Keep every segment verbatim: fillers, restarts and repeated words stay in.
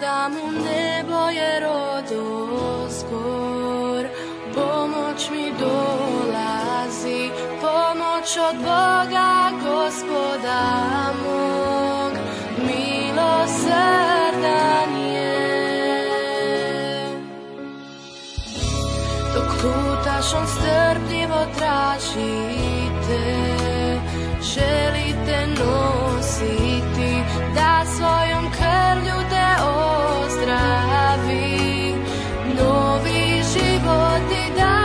da mu nebo je rodozgor. Pomoć mi dolazi, pomoć od Boga Gospoda mog, milosrdan je. Dok lutaš on strpljivo tražite, želite nositi, da svojom krvlju te ozdravi, novi život ti da.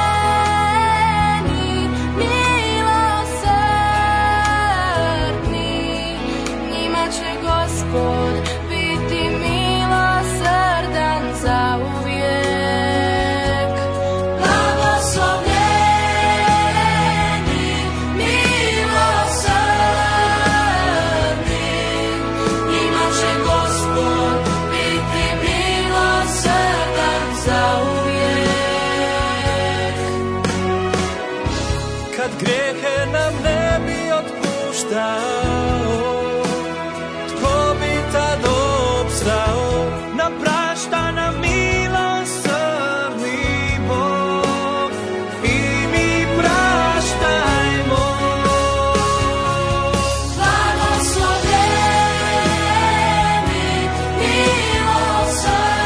Blagoslovljeni, milosrdni, njima će Gospod biti milosrdan zauvijek. Blagoslovljeni, milosrdni, njima će Gospod biti milosrdan zauvijek. Kad grijehe nam ne bi otpuštao, tko bi tad opstao? Nam prašta nam milosrdni Bog i mi praštajmo. Blagoslovljeni, milosrdni,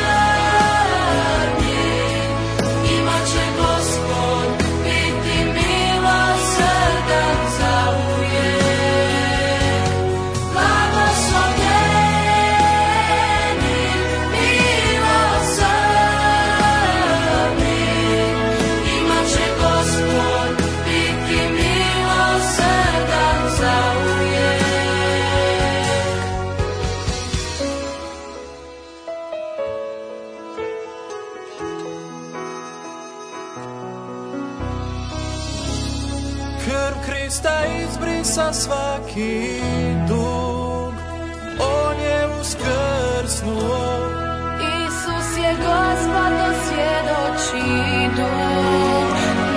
njima će Gospod biti milosrdan zauvijek. Blagoslovljeni, milosrdni, njima će Gospod biti milosrdan zauvijek. Krv Krista izbrisa svaki dug, on je uskrsnuo. Isus je Gospod, to svjedoči duh,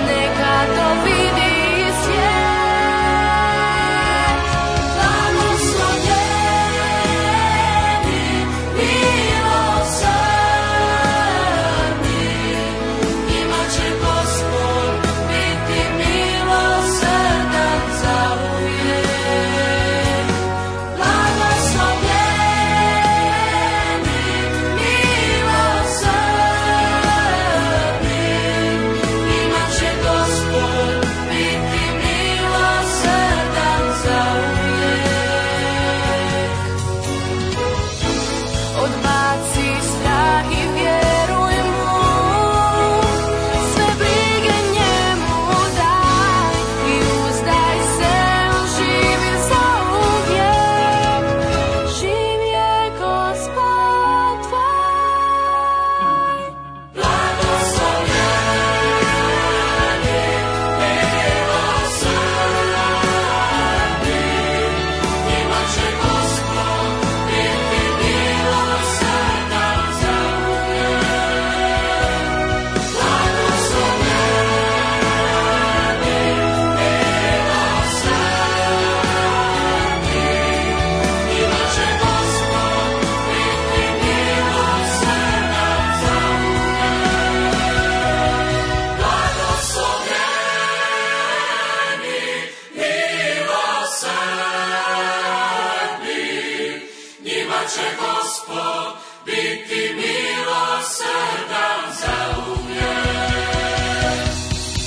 neka to vidi svijet. Blagoslovljeni, milosrdni, njima će Gospod biti milosrdan zauvijek. Blagoslovljeni, milosrdni, njima će Gospod biti milosrdan zauvijek. Odbaci strah i vjeruj mu, sve brige njemu daj i uzdaj se, on živi zauvijek. Živ je Gospod tvoj. Blagoslovljeni, milosrdni, njima će Gospod biti milosrdan zauvijek. Blagoslovljeni, milosrdni, njima će Gospod biti milosrdan zauvijek. Blagoslovljeni, milosrdni, njima će Gospod biti milosrdan zauvijek.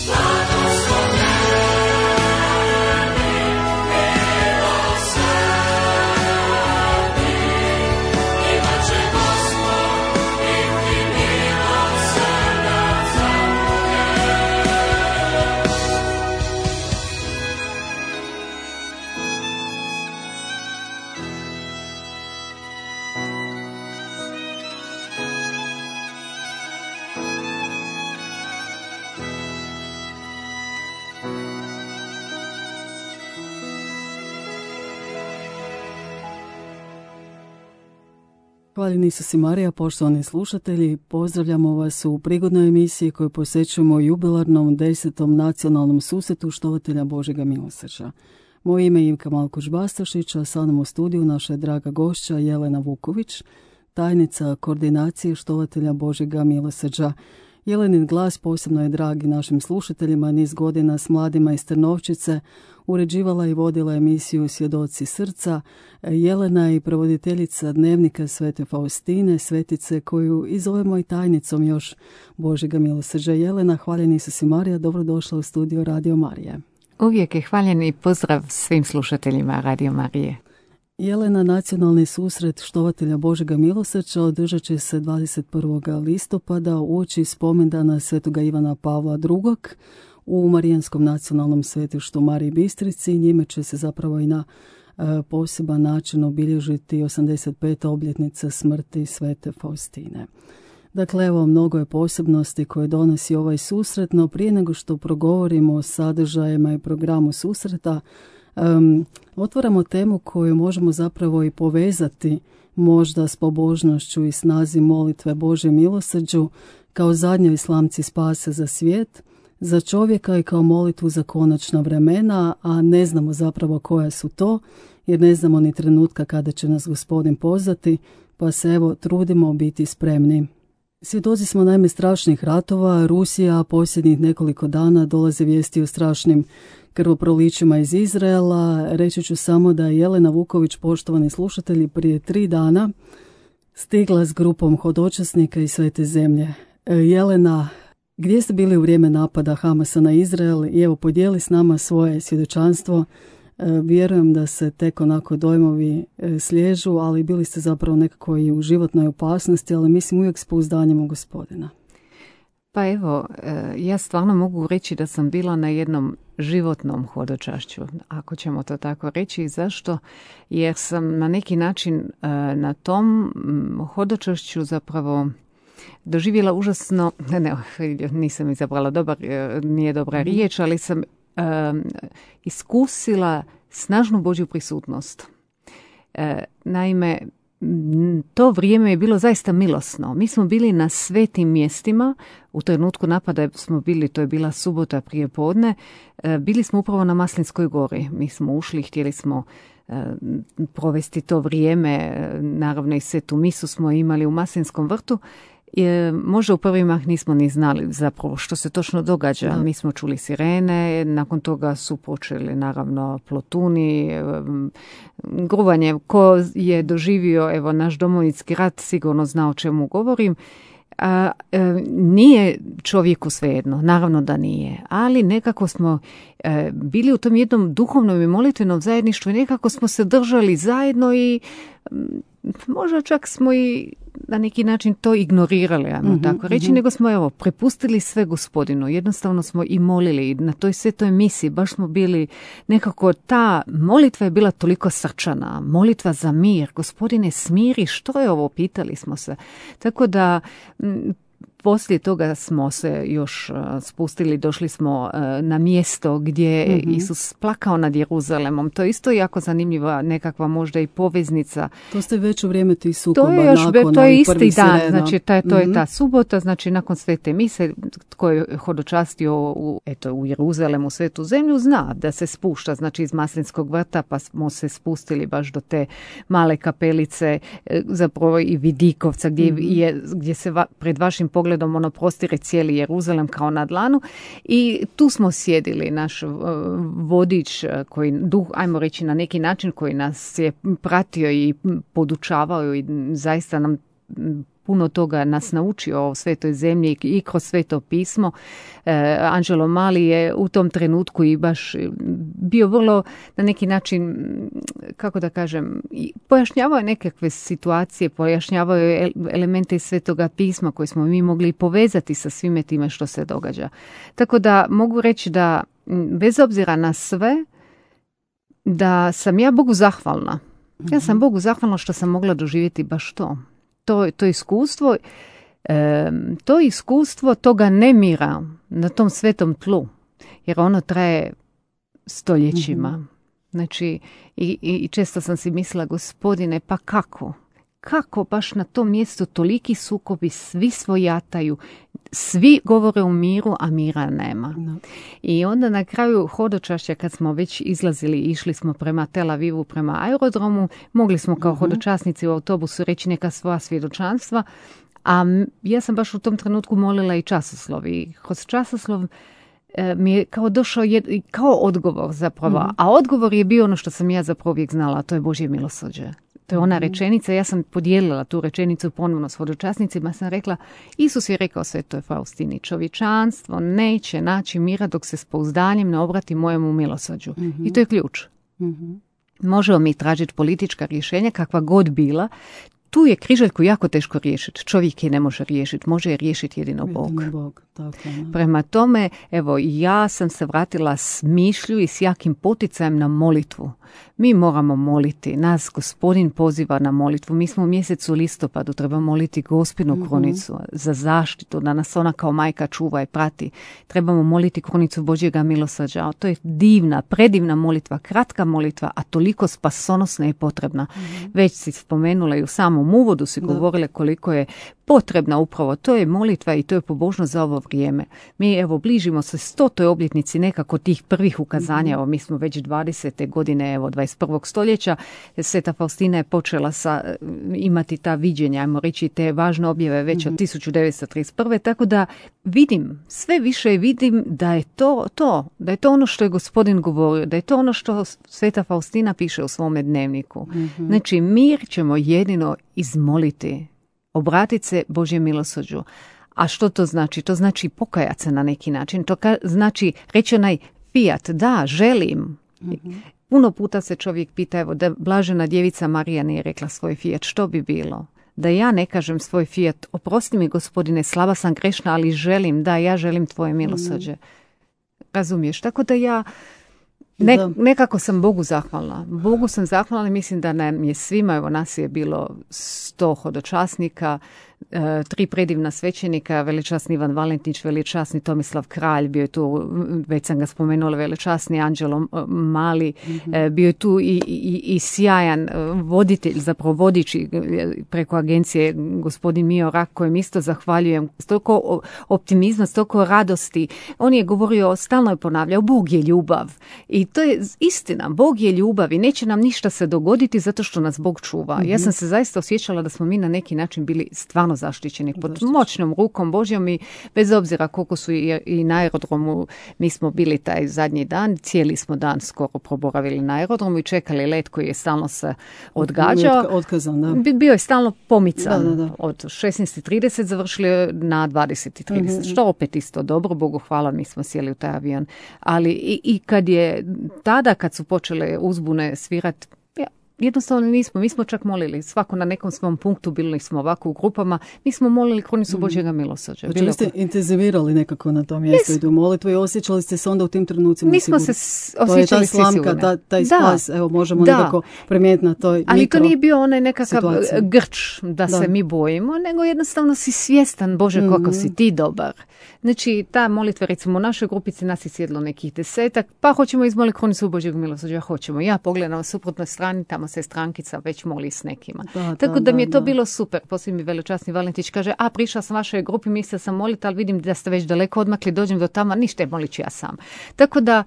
Blagoslovljeni, milosrdni, njima će Gospod biti milosrdan Hvaljeni Isus i Marija, poštovani slušatelji, pozdravljamo vas u prigodnoj emisiji koju posvećujemo jubilarnom desetom nacionalnom susretu štovatelja Božjega milosrđa. Moje ime je Ivka Malkuć-Bastašić, a sa mnom u studiju naša je draga gošća Jelena Vuković, tajnica koordinacije štovatelja Božjega milosrđa. Jelenin glas posebno je dragi našim slušateljima, niz godina s mladima iz Trnovčice, uređivala i vodila emisiju Svjedoci srca. Jelena je provoditeljica dnevnika Svete Faustine, svetice koju i zovemo i tajnicom još Božjega milosrđa. Jelena, hvaljeni Isus i Marija, dobrodošla u studio Radio Marije. Uvijek je hvaljeni pozdrav svim slušateljima Radio Marije. Jelena, nacionalni susret štovatelja Božjega milosrđa održat će se dvadeset prvog listopada uoči spomendana svetoga Ivana Pavla drugog. u Marijanskom nacionalnom svetištu Mariji Bistrici. Njime će se zapravo i na e, poseban način obilježiti osamdeset peta obljetnica smrti svete Faustine. Dakle, evo, mnogo je posebnosti koje donosi ovaj susret, no prije nego što progovorimo o sadržajima i programu susreta, um, otvaramo temu koju možemo zapravo i povezati možda s pobožnošću i snazi molitve Božje milosrđu kao zadnjoj slamci spase za svijet, za čovjeka i kao molitvu za konačna vremena, a ne znamo zapravo koja su to, jer ne znamo ni trenutka kada će nas Gospodin pozvati, pa se evo trudimo biti spremni. Svjedoci smo naime strašnih ratova. Rusija posljednjih nekoliko dana dolaze vijesti o strašnim krvoprolićima iz Izraela. Reći ću samo da je Jelena Vuković, poštovani slušatelji, prije tri dana stigla s grupom hodočasnika iz Svete zemlje. Jelena, gdje ste bili u vrijeme napada Hamasa na Izrael? I evo, podijeli s nama svoje svjedočanstvo. Vjerujem da se tek onako dojmovi sliježu, ali bili ste zapravo nekako i u životnoj opasnosti, ali mislim uvijek s pouzdanjem u Gospodina. Pa evo, ja stvarno mogu reći da sam bila na jednom životnom hodočašću, ako ćemo to tako reći. Zašto? Jer sam na neki način na tom hodočašću zapravo doživjela užasno, ne, nisam izabrala dobar, nije dobra riječ, ali sam Um, iskusila snažnu Božju prisutnost. E, naime, to vrijeme je bilo zaista milosno. Mi smo bili na svetim mjestima, u trenutku napada smo bili, to je bila subota prije podne, e, bili smo upravo na Maslinskoj gori. Mi smo ušli, htjeli smo e, provesti to vrijeme, naravno i svetu misu smo imali u Maslinskom vrtu. Je, možda u prvi mah nismo ni znali zapravo što se točno događa. Da. Mi smo čuli sirene, nakon toga su počeli naravno plotuni, gruvanje. Ko je doživio evo naš Domovinski rat sigurno zna o čemu govorim. A, e, nije čovjeku svejedno, naravno da nije, ali nekako smo e, bili u tom jednom duhovnom i molitvenom zajedništvu i nekako smo se držali zajedno i m, možda čak smo i na neki način to ignorirali, ajmo mm-hmm, tako reći, mm-hmm. nego smo evo prepustili sve Gospodinu, jednostavno smo i molili i na toj svetoj misiji baš smo bili nekako, ta molitva je bila toliko srčana, molitva za mir, Gospodine smiri, što je ovo, pitali smo se, tako da m, poslije toga smo se još spustili, došli smo na mjesto gdje je mm-hmm. Isus plakao nad Jeruzalemom. To je isto jako zanimljiva nekakva možda i poveznica. To ste već u vrijeme tih sukoba. To je još, nakon, to je isti dan, sirena. znači ta, to mm-hmm. je ta subota, znači nakon svete mise, tko je hodočastio u, eto, u Jeruzalemu, svetu zemlju, zna da se spušta, znači iz Maslinskog vrta, pa smo se spustili baš do te male kapelice, zapravo i Vidikovca, gdje, mm-hmm. je, gdje se va, pred vašim pogledom ono prostire cijeli Jeruzalem kao na dlanu i tu smo sjedili, naš uh, vodič koji, duh, ajmo reći na neki način, koji nas je pratio i podučavao i zaista nam puno toga nas naučio o svetoj zemlji i kroz sveto pismo. E, Angelo Mali je u tom trenutku i baš bio vrlo na neki način, kako da kažem, pojašnjavao je nekakve situacije, pojašnjavao je elemente iz svetoga pisma koje smo mi mogli povezati sa svime time što se događa. Tako da mogu reći da bez obzira na sve, da sam ja Bogu zahvalna. Ja sam Bogu zahvalna što sam mogla doživjeti baš to. To, to iskustvo, e, to iskustvo toga nemira na tom svetom tlu, jer ono traje stoljećima. Mm-hmm. Znači, i, i često sam si mislila, Gospodine, pa kako? kako baš na tom mjestu toliki sukobi, svi svojataju, svi govore o miru, a mira nema. No. I onda na kraju hodočašća, kad smo već izlazili, išli smo prema Tel Avivu, prema aerodromu, mogli smo kao uh-huh. hodočasnici u autobusu reći neka svoja svjedočanstva, a ja sam baš u tom trenutku molila i časoslov. I kroz časoslov e, mi je kao došao jed, kao odgovor zapravo. Uh-huh. A odgovor je bio ono što sam ja zapravo uvijek znala, a to je Božje milosrđe. To je ona rečenica, ja sam podijelila tu rečenicu ponovno s hodočasnicima, sam rekla, Isus je rekao Svetoj Faustini, čovječanstvo neće naći mira dok se s pouzdanjem ne obrati mojemu milosrđu. Mm-hmm. I to je ključ. Mm-hmm. Možemo mi tražiti politička rješenja, kakva god bila, tu je križaljku jako teško riješiti. Čovjek je ne može riješiti, može je riješiti jedino Bog. Jedino Bog, tako je. Prema tome, evo, ja sam se vratila s mišlju i s jakim poticajem na molitvu. Mi moramo moliti, nas Gospodin poziva na molitvu. Mi smo u mjesecu listopadu, treba moliti Gospinu mm-hmm. krunicu za zaštitu, da nas ona kao majka čuva i prati. Trebamo moliti krunicu Božjega milosrđa. To je divna, predivna molitva, kratka molitva, a toliko spasonosna i potrebna. Mm-hmm. Već si spomenula i u samom uvodu si govorile koliko je potrebna upravo. To je molitva i to je pobožnost za ovo vrijeme. Mi evo bližimo se stotoj obljetnici nekako tih prvih ukazanja. Evo mi smo već dvadesete godine, evo dvadeset prvog stoljeća. Sveta Faustina je počela sa, imati ta viđenja, ajmo reći te važne objave već od tisuću devetsto trideset prve. Tako da vidim, sve više vidim da je to to, da je to ono što je Gospodin govorio, da je to ono što Sveta Faustina piše u svome dnevniku. Mm-hmm. Znači mir ćemo jedino izmoliti. Obratiti se Božjem milosrđu. A što to znači? To znači pokajati se na neki način. To ka- znači reći onaj fiat, da, želim. Mm-hmm. Puno puta se čovjek pita, evo, da blažena djevica Marija nije rekla svoj fiat, što bi bilo? Da ja ne kažem svoj fiat, oprosti mi Gospodine, slaba sam, grešna, ali želim, da, ja želim tvoje milosrđe. Mm-hmm. Razumiješ? Tako da ja Ne, nekako sam Bogu zahvalna. Bogu sam zahvalna i mislim da nam je svima, evo nas je bilo sto hodočasnika, e, tri predivna svećenika, velečasni Ivan Valentić, velečasni Tomislav Kralj, bio je tu, već sam ga spomenula, velečasni Anđelo Mali, mm-hmm. e, bio je tu i, i, i sjajan voditelj, zapravo vodič preko agencije gospodin Mio Rak, kojem isto zahvaljujem, s toliko optimizma, s toliko radosti. On je govorio, stalno je ponavljao, Bog je ljubav. I to je istina, Bog je ljubav i neće nam ništa se dogoditi zato što nas Bog čuva. Mm-hmm. Ja sam se zaista osjećala da smo mi na neki način bili stvarno zaštićeni pod moćnom rukom Božjom i bez obzira koliko su i, i na aerodromu, mi smo bili taj zadnji dan, cijeli smo dan skoro proboravili na aerodromu i čekali let koji je stalno se odgađao. Otkazan, da. Bio je stalno pomican. Da, da, da. Od šesnaest i trideset završili na dvadeset i trideset, mm-hmm. što opet isto dobro, Bogu hvala, mi smo sjeli u taj avion. Ali i, i kad je tada kad su počele uzbune svirati, ja, jednostavno nismo, mi smo čak molili, svako na nekom svom punktu, bili smo ovako u grupama, mi smo molili krunicu Božjega milosrđa. Znači vi ste intenzivirali nekako na tom mjestu yes. i u molitvu i osjećali ste se onda u tim trenucima mi sigurno. smo se osjećali svi sigurno. Ta, taj spas, evo možemo da. nekako primijetiti na toj ali mikro to nije bio onaj nekakav situaciji. grč da, da se mi bojimo, nego jednostavno si svjestan, Bože, mm-hmm. kako si ti dobar. Znači, ta molitva, recimo u našoj grupici nas je sjedlo nekih desetak, pa hoćemo izmoliti krunicu Božjeg milosrđa, hoćemo. Ja pogledam na suprotnoj strani, tamo se strankica već moli s nekima. Da, Tako da, da mi je to da. bilo super. Poslije mi velečasni Valentić kaže, a prišla sam vašoj grupi, mislila sam moliti, ali vidim da ste već daleko odmakli, dođem do tamo, ništa, molit ću ja sam. Tako da,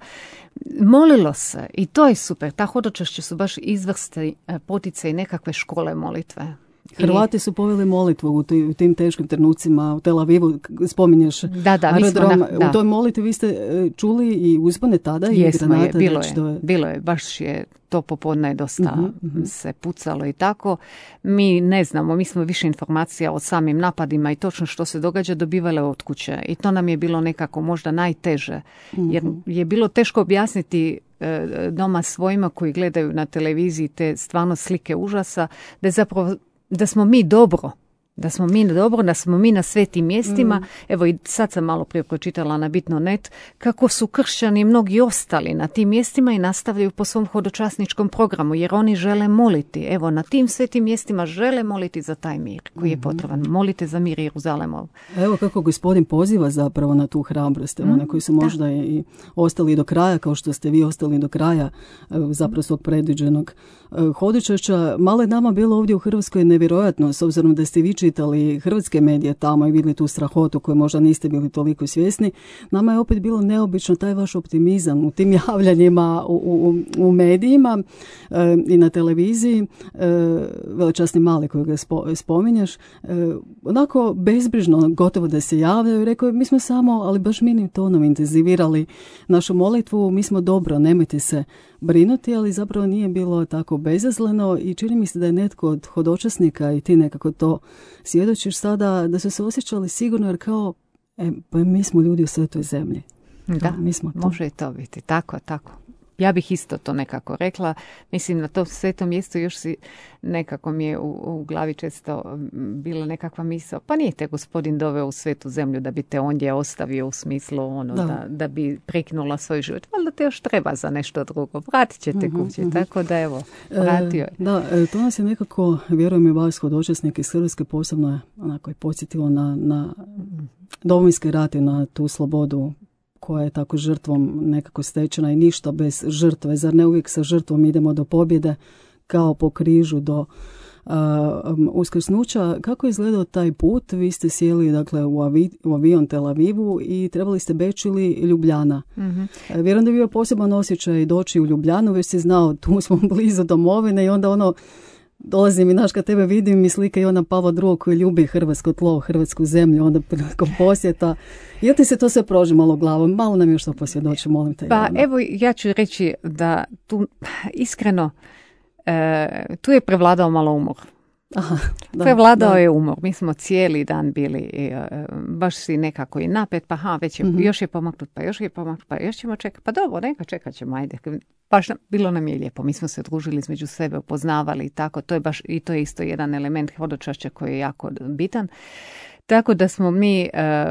molilo se i to je super. Ta hodočašća su baš izvrsti potice i nekakve škole molitve. Hrvati su poveli molitvu u, t- u tim teškim trenucima u Tel Avivu, spominješ da, da, aerodrom. Na, da. U toj molitvi vi ste čuli i uzbune tada Jesmo i granate. Je, bilo, već je, to je. bilo je, baš je to popodne dosta uh-huh, uh-huh. se pucalo i tako. Mi ne znamo, mi smo više informacija o samim napadima i točno što se događa dobivale od kuće. I to nam je bilo nekako možda najteže. Uh-huh. Jer je bilo teško objasniti e, doma svojima koji gledaju na televiziji te stvarno slike užasa, da je zapravo da smo mi dobro, Da smo mi dobro, da smo mi na svetim mjestima. Mm. Evo i sad sam malo prije pročitala na Bitno net kako su kršćani mnogi ostali na tim mjestima i nastavljaju po svom hodočasničkom programu, jer oni žele moliti. Evo, na tim svetim mjestima žele moliti za taj mir koji je potreban. Molite za mir Jeruzalemov. Evo kako gospodin poziva zapravo na tu hrabrost, mm. na koji su možda da. i ostali do kraja, kao što ste vi ostali do kraja zapravo svog predviđenog hodočašća. Malo je nama bilo ovdje u Hrvatskoj nevjerojatno, s obzirom da ste vi čitali hrvatske medije tamo i vidjeli tu strahotu koju možda niste bili toliko svjesni. Nama je opet bilo neobično taj vaš optimizam u tim javljanjima u, u, u medijima e, i na televiziji. E, velečasni Mali koji ga spo, spominješ. E, onako bezbrižno gotovo da se javljaju. Rekao, mi smo samo, ali baš minim tonom intenzivirali našu molitvu. Mi smo dobro, nemojte se brinuti, ali zapravo nije bilo tako bezazleno i čini mi se da je netko od hodočasnika i ti nekako to svjedočiš sada, da su se osjećali sigurno jer kao, e, pa mi smo ljudi u svetoj zemlji. Da, mi smo to. Može i to biti. Tako, tako. Ja bih isto to nekako rekla. Mislim, na tom svetom mjestu još si nekako mi je u, u glavi često bila nekakva misao. Pa nije te gospodin doveo u svetu zemlju da bi te ondje ostavio u smislu ono, da. Da, da bi preknula svoj život. Valjda te još treba za nešto drugo. Vratit će te uh-huh, kući. Uh-huh. Tako da evo, vratio je. E, da, to nas je nekako, vjerujem i vas hodočasnike iz Hrvatske posebno je onako podsjetilo na, na Domovinski rat i na tu slobodu koja je tako žrtvom nekako stečena i ništa bez žrtve. Zar ne uvijek sa žrtvom idemo do pobjede kao po križu do uh, um, uskrsnuća? Kako je izgledao taj put? Vi ste sjeli dakle, u, avi, u avion Tel Avivu i trebali ste Beč ili Ljubljana. Mm-hmm. Uh, vjerujem da je bio poseban osjećaj doći u Ljubljanu, već si znao tu smo blizu domovine i onda ono dolazim i naš kad tebe vidim i slika Ivana Pavla drugog koji ljubi hrvatsko tlo, hrvatsku zemlju, onda prilikom posjeta. Jel ti se to sve proži malo glavom? Malo nam još to posvjedoči, molim te. Pa Ivana. Evo ja ću reći da tu iskreno e, tu je prevladao malo umor. Aha, da, prevladao da. je umor. Mi smo cijeli dan bili e, baš si nekako i napet, pa ha, već je, mm-hmm. još je pomaknut, pa još je pomaknut, pa još ćemo čekati. Pa dobro, neka čekat ćemo, ajde. Baš bilo nam je lijepo. Mi smo se družili između sebe, upoznavali i tako. To je baš i to je isto jedan element hodočašća koji je jako bitan. Tako da smo mi,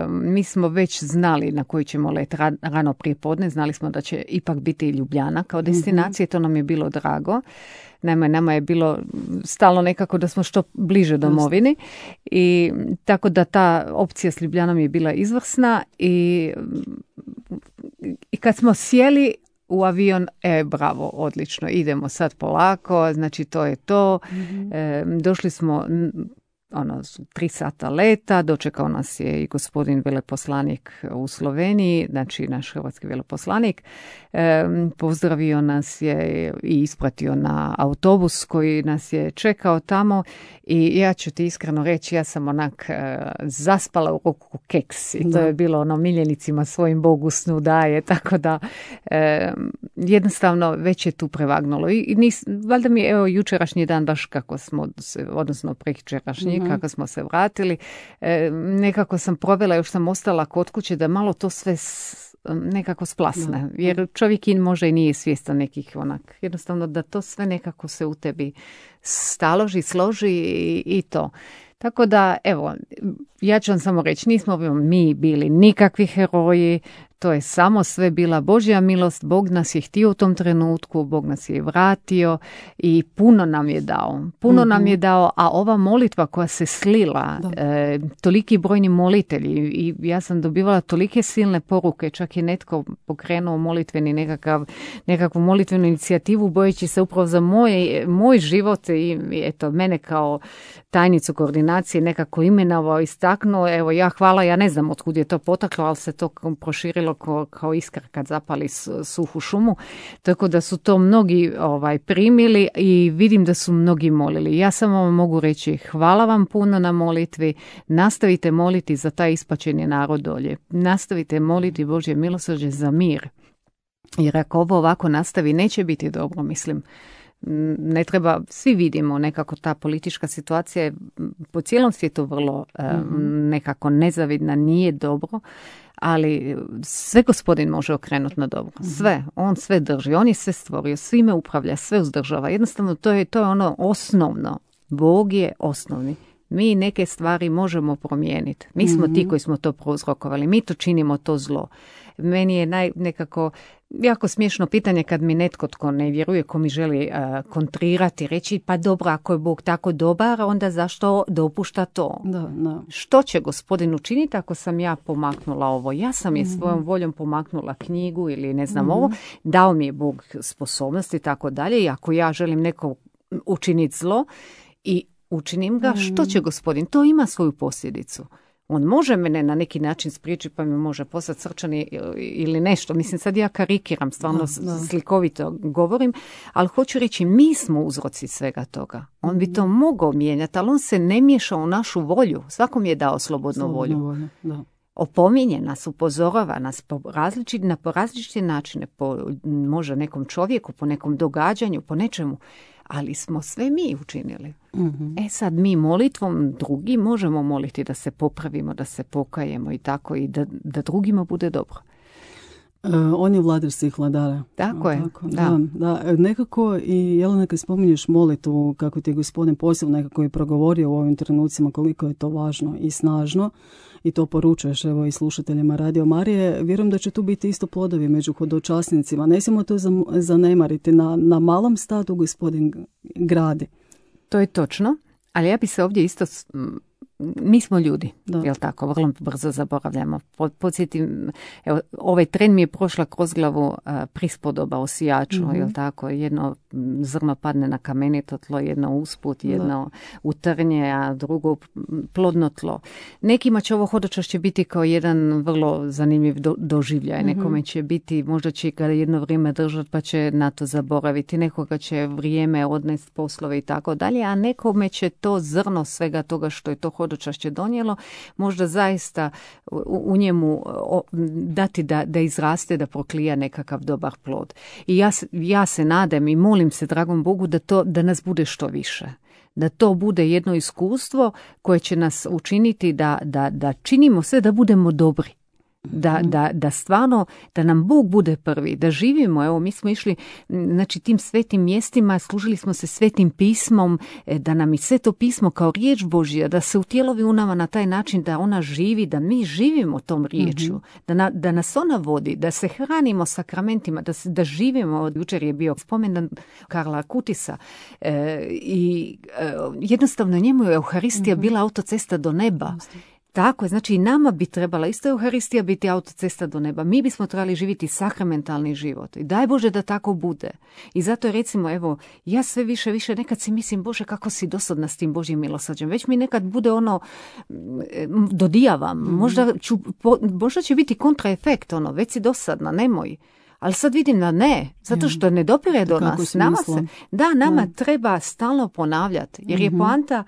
mi smo već znali na koji ćemo let rano prije podne, znali smo da će ipak biti Ljubljana kao destinacija, mm-hmm. to nam je bilo drago. Naime, nama je bilo stalno nekako da smo što bliže domovini i tako da ta opcija s Ljubljanom je bila izvrsna i, i kad smo sjeli u avion, e, bravo, odlično, idemo sad polako, znači to je to. Mm-hmm. E, došli smo ono, tri sata leta, dočekao nas je i gospodin veleposlanik u Sloveniji, znači naš hrvatski veleposlanik, e, pozdravio nas je i ispratio na autobus koji nas je čekao tamo i ja ću ti iskreno reći, ja sam onak e, zaspala u ruku keks i to da. je bilo ono miljenicima svojim Bogu snu daje, tako da e, jednostavno već je tu prevagnulo i, i nis, valjda mi je evo jučerašnji dan baš kako smo se, odnosno prekjučerašnji mm-hmm. kako smo se vratili, e, nekako sam provela, još sam ostala kod kuće da malo to sve s, nekako splasne, da. jer čovjek in može i nije svjestan nekih onak, jednostavno da to sve nekako se u tebi staloži, složi i, i to. Tako da, evo, ja ću vam samo reći, nismo mi bili nikakvi heroji, to je samo sve bila Božja milost, Bog nas je htio u tom trenutku, Bog nas je vratio i puno nam je dao. Puno mm-hmm. nam je dao, a ova molitva koja se slila, e, toliki brojni molitelji i ja sam dobivala tolike silne poruke, čak je netko pokrenuo molitveni nekakav, nekakvu molitvenu inicijativu bojeći se upravo za moj, moj život i eto, mene kao tajnicu koordinacije nekako imenovao, istaknuo, evo ja hvala, ja ne znam otkud je to potaklo, ali se to proširilo kao, kao iskra kad zapali suhu šumu, tako da su to mnogi ovaj, primili i vidim da su mnogi molili. Ja samo vam mogu reći hvala vam puno na molitvi, nastavite moliti za taj ispačeni narod dolje, nastavite moliti Božje milosrđe za mir, jer ako ovo ovako nastavi neće biti dobro, mislim. Ne treba, svi vidimo nekako ta politička situacija je po cijelom svijetu vrlo mm-hmm. nekako nezavidna, nije dobro, ali sve gospodin može okrenuti na dobro. Sve, on sve drži, on je sve stvorio, svime upravlja, sve uzdržava. Jednostavno to je, to je ono osnovno. Bog je osnovni. Mi neke stvari možemo promijeniti. Mi smo mm-hmm. ti koji smo to prouzrokovali. Mi to činimo to zlo. Meni je naj, nekako jako smiješno pitanje kad mi netko tko ne vjeruje, ko mi želi uh, kontrirati, reći pa dobro, ako je Bog tako dobar, onda zašto dopušta to? Da, da. Što će Gospodin učiniti ako sam ja pomaknula ovo? Ja sam je mm-hmm. svojom voljom pomaknula knjigu ili ne znam mm-hmm. ovo. Dao mi je Bog sposobnosti i tako dalje. I ako ja želim neko učiniti zlo i učinim ga, mm-hmm. što će Gospodin? To ima svoju posljedicu. On može mene na neki način spriječiti pa mi može poslati srčani ili nešto. Mislim, sad ja karikiram, stvarno da, da. slikovito govorim, ali hoću reći, mi smo uzroci svega toga. On bi to mogao mijenjati, ali on se ne miješa u našu volju. Svakom je dao slobodnu Slobodno volju. volju da. Opominje nas, upozorava nas po različit, na po različite načine, po možda nekom čovjeku, po nekom događanju, po nečemu. Ali smo sve mi učinili. Mm-hmm. E sad mi molitvom drugi možemo moliti da se popravimo, da se pokajemo i tako i da, da drugima bude dobro. Uh, on je vladar svih vladara. Tako je, tako? da. Da, da. Nekako i Jelena, kad spominješ molitvu, kako ti je Gospodin posebno nekako je progovorio u ovim trenucima koliko je to važno i snažno i to poručuješ evo i slušateljima Radio Marije, vjerujem da će tu biti isto plodovi među hodočasnicima. Ne smijemo to zanemariti. Na, na malom stadu Gospodin gradi. To je točno, ali ja bi se ovdje isto... Mi smo ljudi, da. Jel tako, vrlo brzo zaboravljamo. Podsjetim, evo, ovaj tren mi je prošla kroz glavu a, prispodoba o sijaču, mm-hmm. jel tako, jedno zrno padne na kamenito tlo, jedno usput, jedno da. u trnje, a drugo plodno tlo. Nekima će ovo hodočašće biti kao jedan vrlo zanimljiv do, doživljaj, mm-hmm. nekome će biti, možda će ga jedno vrijeme držati pa će na to zaboraviti, nekoga će vrijeme odnesti poslove i tako dalje, a nekome će to zrno svega toga što je to hodočašće donijelo, možda zaista u, u njemu o, dati da, da izraste, da proklija nekakav dobar plod. I ja, ja se nadam i molim se dragom Bogu da, to, da nas bude što više. Da to bude jedno iskustvo koje će nas učiniti da, da, da činimo sve da budemo dobri. Da, da, da stvarno, da nam Bog bude prvi, da živimo, evo mi smo išli znači tim svetim mjestima, služili smo se svetim pismom, da nam i sveto pismo kao riječ Božja, da se utjelovi u nama na taj način da ona živi, da mi živimo tom riječju, mm-hmm. da, na, da nas ona vodi, da se hranimo sakramentima, da, se, da živimo. Jučer je bio spomendan Karla Kutisa e, i e, jednostavno njemu je Euharistija mm-hmm. bila autocesta do neba. Tako je, znači i nama bi trebala isto Euharistija biti autocesta do neba. Mi bismo trebali živjeti sakramentalni život. I daj Bože da tako bude. I zato recimo, evo, ja sve više, više nekad si mislim, Bože, kako si dosadna s tim Božjim milosrđem. Već mi nekad bude ono, dodijavam. Mm-hmm. Možda, ću, po, možda će biti kontraefekt, ono, već si dosadna, nemoj. Ali sad vidim da ne, zato što ne dopire do kako nas. Nama se, da, nama da. treba stalno ponavljati. Jer je mm-hmm. poanta,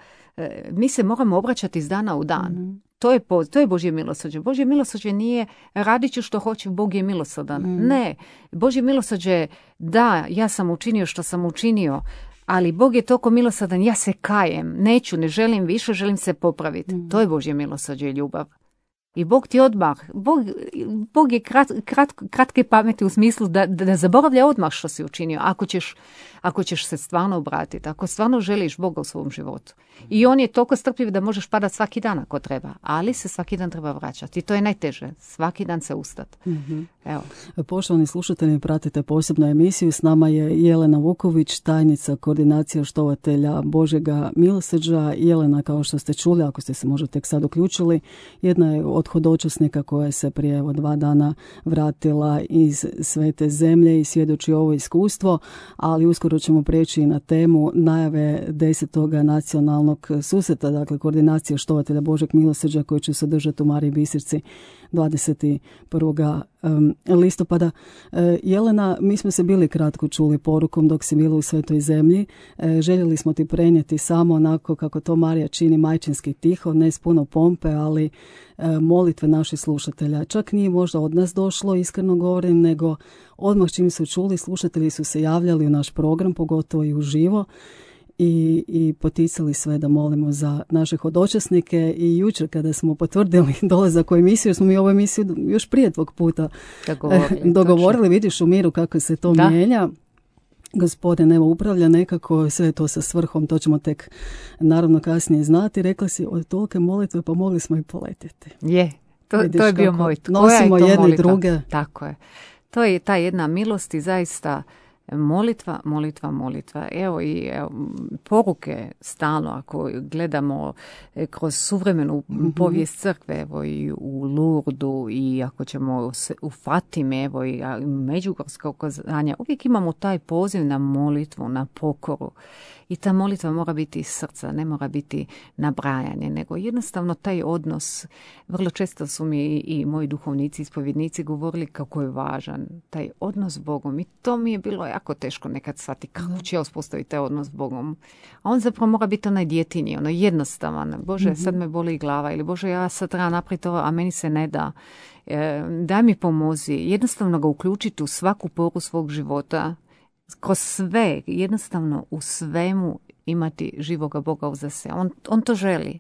mi se moramo obraćati iz dana u dan. Mm-hmm. To je, po, to je Božje milosrđe. Božje milosrđe nije radit ću što hoće, Bog je milosrdan. Mm. Ne, Božje milosrđe je da, ja sam učinio što sam učinio, ali Bog je toliko milosrdan, ja se kajem, neću, ne želim više, želim se popraviti. Mm. To je Božje milosrđe i ljubav. I Bog ti odmah, Bog, Bog je krat, krat, kratke pameti u smislu da, da, da zaboravlja odmah što si učinio, ako ćeš, ako ćeš se stvarno obratiti, ako stvarno želiš Boga u svom životu. I on je toliko strpljiv da možeš padati svaki dan ako treba, ali se svaki dan treba vraćati. I to je najteže, svaki dan se ustati. Mm-hmm. Evo. Poštovani slušatelji, pratite posebnu emisiju. S nama je Jelena Vuković, tajnica koordinacije štovatelja Božjega milosrđa. Jelena, kao što ste čuli, ako ste se možda tek sad uključili, jedna je od hodočasnika koja se prije evo, dva dana vratila iz svete zemlje i svjedoči ovo iskustvo, ali uskoro ćemo preći na temu najave desetoga nacionalnog susreta, dakle koordinacije štovatelja Božjeg milosrđa koji će se održati u Mariji Bistrici dvadeset prvog listopada. Jelena, mi smo se bili kratko čuli porukom dok si bila u Svetoj zemlji. Željeli smo ti prenijeti samo onako kako to Marija čini, majčinski tiho, ne s puno pompe, ali molitve naših slušatelja. Čak nije možda od nas došlo, iskreno govorim, nego odmah čim su čuli, slušatelji su se javljali u naš program, pogotovo i uživo. I, i poticali sve da molimo za naše hodočasnike i jučer kada smo potvrdili dolazak u emisiju, smo mi ovu emisiju još prije tvog puta dogovorili, dogovorili vidiš u miru kako se to da. mijenja. Gospodin evo upravlja nekako, sve to sa svrhom, to ćemo tek naravno kasnije znati. Rekla si od tolike molitve pa mogli smo i poletjeti. Je, to, to je bio moj. Nosimo je to jedne molitva? druge. Tako je. To je ta jedna milost i zaista molitva, molitva, molitva. Evo i evo, poruke stalno ako gledamo kroz suvremenu mm-hmm. povijest crkve, evo i u Lurdu i ako ćemo u Fatime, evo i međugorska ukazanja, uvijek imamo taj poziv na molitvu, na pokoru. I ta molitva mora biti iz srca, ne mora biti nabrajanje, nego jednostavno taj odnos. Vrlo često su mi i, i moji duhovnici, ispovjednici govorili kako je važan taj odnos s Bogom. I to mi je bilo jako teško nekad shvatiti kako ću ja uspostaviti taj odnos s Bogom. A on zapravo mora biti onaj djetinji, ono jednostavan. Bože, mm-hmm. sad me boli glava ili Bože, ja sad treba napraviti ovo, a meni se ne da. E, daj mi pomozi. Jednostavno ga uključiti u svaku poru svog života. Kroz sve, jednostavno u svemu imati živoga Boga uza se. On, on to želi.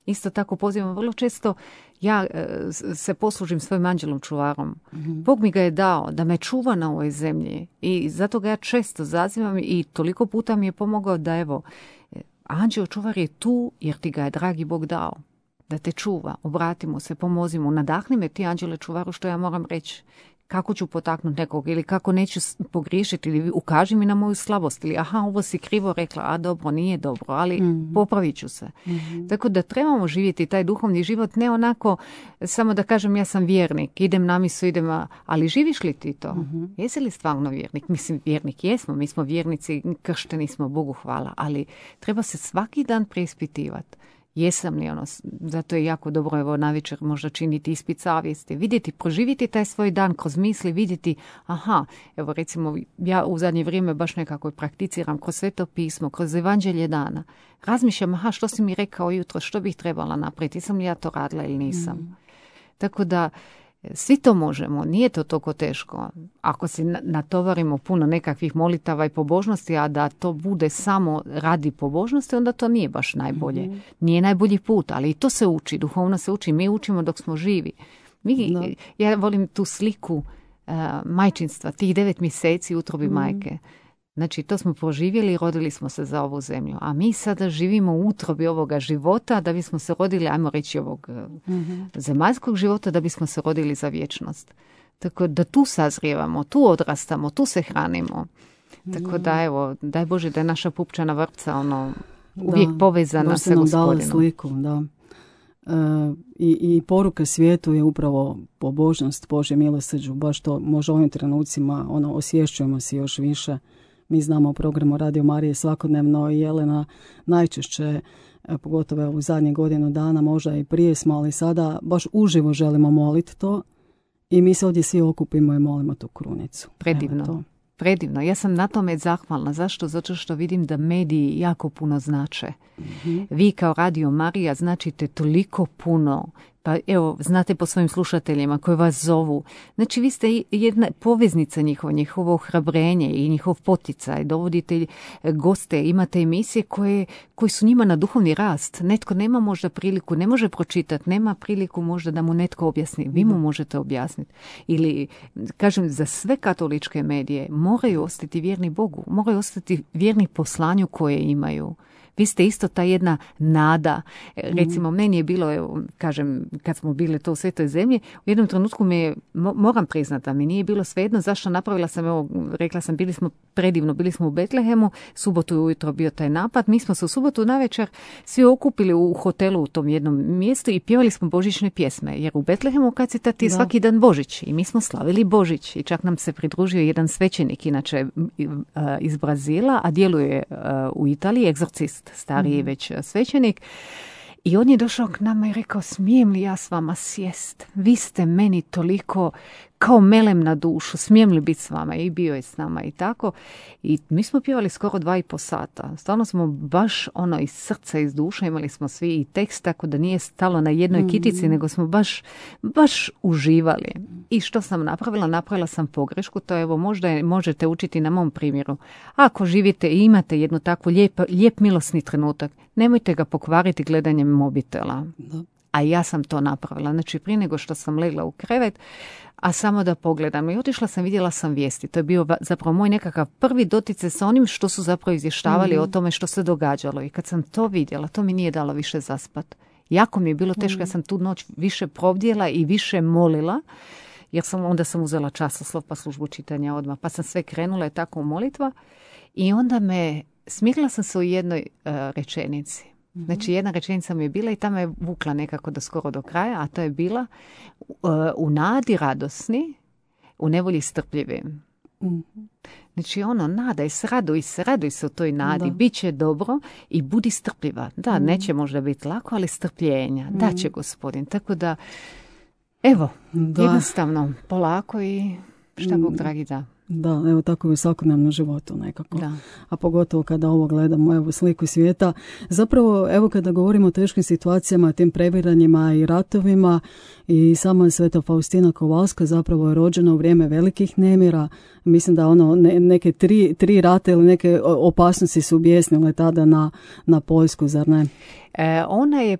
Isto tako pozivam vrlo često, ja e, se poslužim svojim anđelom čuvarom. Mm-hmm. Bog mi ga je dao da me čuva na ovoj zemlji i zato ga ja često zazivam i toliko puta mi je pomogao da evo, anđeo čuvar je tu jer ti ga je dragi Bog dao. Da te čuva, obratimo se, pomozimo, nadahni me ti anđele čuvaru što ja moram reći. Kako ću potaknuti nekog ili kako neću pogriješiti ili ukaži mi na moju slabost ili aha, ovo si krivo rekla, a dobro, nije dobro, ali mm-hmm. popravit ću se. Mm-hmm. Tako da trebamo živjeti taj duhovni život, ne onako samo da kažem ja sam vjernik, idem na misu, idem, ali živiš li ti to? Mm-hmm. Jesi li stvarno vjernik? Mislim, vjernik jesmo, mi smo vjernici, kršteni smo, Bogu hvala, ali treba se svaki dan preispitivati. Jesam li ono, zato je jako dobro evo navečer možda činiti ispit savjesti, vidjeti, proživjeti taj svoj dan kroz misli, vidjeti, aha, evo recimo ja u zadnje vrijeme baš nekako prakticiram kroz Sveto pismo, kroz evanđelje dana, razmišljam, aha, što si mi rekao jutro, što bih trebala napraviti, jesam li ja to radila ili nisam. Mm. Tako da svi to možemo, nije to toliko teško. Ako si natovarimo puno nekakvih molitava i pobožnosti, a da to bude samo radi pobožnosti, onda to nije baš najbolje. Mm-hmm. Nije najbolji put, ali i to se uči, duhovno se uči. Mi učimo dok smo živi. Mi, no. Ja volim tu sliku uh, majčinstva, tih devet mjeseci u utrobi mm-hmm. majke. Znači, to smo proživjeli i rodili smo se za ovu zemlju. A mi sada živimo u utrobi ovoga života da bismo se rodili, ajmo reći, ovog mm-hmm. zemaljskog života, da bismo se rodili za vječnost. Tako da tu sazrijevamo, tu odrastamo, tu se hranimo. Tako da, evo, daj Bože da je naša pupčana vrpca ono, uvijek da, povezana sa Gospodinom. Sliku, da. E, i, I poruka svijetu je upravo pobožnost, Božje milosrđu. Baš to može ovim trenucima ono, osvješćujemo se još više. Mi znamo o programu Radio Marije svakodnevno i Jelena najčešće, pogotovo u zadnjih godinu dana, možda i prije smo, ali sada baš uživo želimo moliti to i mi se ovdje svi okupimo i molimo tu krunicu. Predivno. Predivno. Ja sam na tome zahvalna. Zašto? Zato što vidim da mediji jako puno znače. Mm-hmm. Vi kao Radio Marija značite toliko puno. Pa evo, znate po svojim slušateljima koji vas zovu. Znači, vi ste jedna poveznica njihova, njihovo ohrabrenje i njihov poticaj. Dovodite goste, imate emisije koje, koje su njima na duhovni rast. Netko nema možda priliku, ne može pročitati, nema priliku možda da mu netko objasni. Vi mu možete objasniti. Ili, kažem, za sve katoličke medije moraju ostati vjerni Bogu, moraju ostati vjerni poslanju koje imaju. Vi ste isto ta jedna nada. Recimo, mm. meni je bilo, evo, kažem, kad smo bili to u Svetoj zemlji, u jednom trenutku me je, moram priznati, da mi nije bilo svejedno zašto napravila sam, evo, rekla sam, bili smo predivno, bili smo u Betlehemu, subotu ujutro bio taj napad, mi smo se u subotu navečer svi okupili u hotelu u tom jednom mjestu i pjevali smo božićne pjesme, jer u Betlehemu kad se tati svaki dan Božić i mi smo slavili Božić i čak nam se pridružio jedan svećenik, inače iz Brazila, a djeluje u Italiji, egzorcist, stariji već svećenik. I on je došao k nama i rekao, smijem li ja s vama sjest? Vi ste meni toliko kao melem na dušu, smijem li biti s vama? I bio je s nama i tako. I mi smo pjevali skoro dva i po sata. Stvarno smo baš ono iz srca, iz duša, imali smo svi i tekst, tako da nije stalo na jednoj mm-hmm. kitici, nego smo baš, baš uživali. I što sam napravila? Napravila sam pogrešku, to evo možda je, možete učiti na mom primjeru. Ako živite i imate jednu takvu lijep, lijep milosni trenutak, nemojte ga pokvariti gledanjem mobitela. Da. a ja sam to napravila. Znači, prije nego što sam legla u krevet, a samo da pogledam. I otišla sam, vidjela sam vijesti. To je bio zapravo moj nekakav prvi doticaj sa onim što su zapravo izvještavali mm-hmm. o tome što se događalo. I kad sam to vidjela, to mi nije dalo više zaspat. Jako mi je bilo teško, mm-hmm. ja sam tu noć više provdjela i više molila, jer sam, onda sam uzela časoslov pa službu čitanja odmah. Pa sam sve krenula i tako u molitva. I onda me, smirila sam se u jednoj uh, rečenici. Znači, jedna rečenica mi je bila i tamo je vukla nekako do skoro do kraja, a to je bila uh, u nadi radosni, u nevolji strpljivim. Mm-hmm. Znači, ono, nadaj se, raduj se, raduj se u toj nadi, bit će dobro i budi strpljiva. Da, mm-hmm. neće možda biti lako, ali strpljenja, mm-hmm. da će Gospodin. Tako da, evo, da. Jednostavno, polako i šta Bog dragi da. Da, evo tako je u svakodnevnom životu nekako. Da. A pogotovo kada ovo gledamo, evo sliku svijeta. Zapravo, evo kada govorimo o teškim situacijama, tim previranjima i ratovima, i sama Sveta Faustina Kowalska zapravo je rođena u vrijeme velikih nemira. Mislim da ono ne, neke tri, tri rate ili neke opasnosti su objesnile tada na, na Poljsku, zar ne? E, ona je,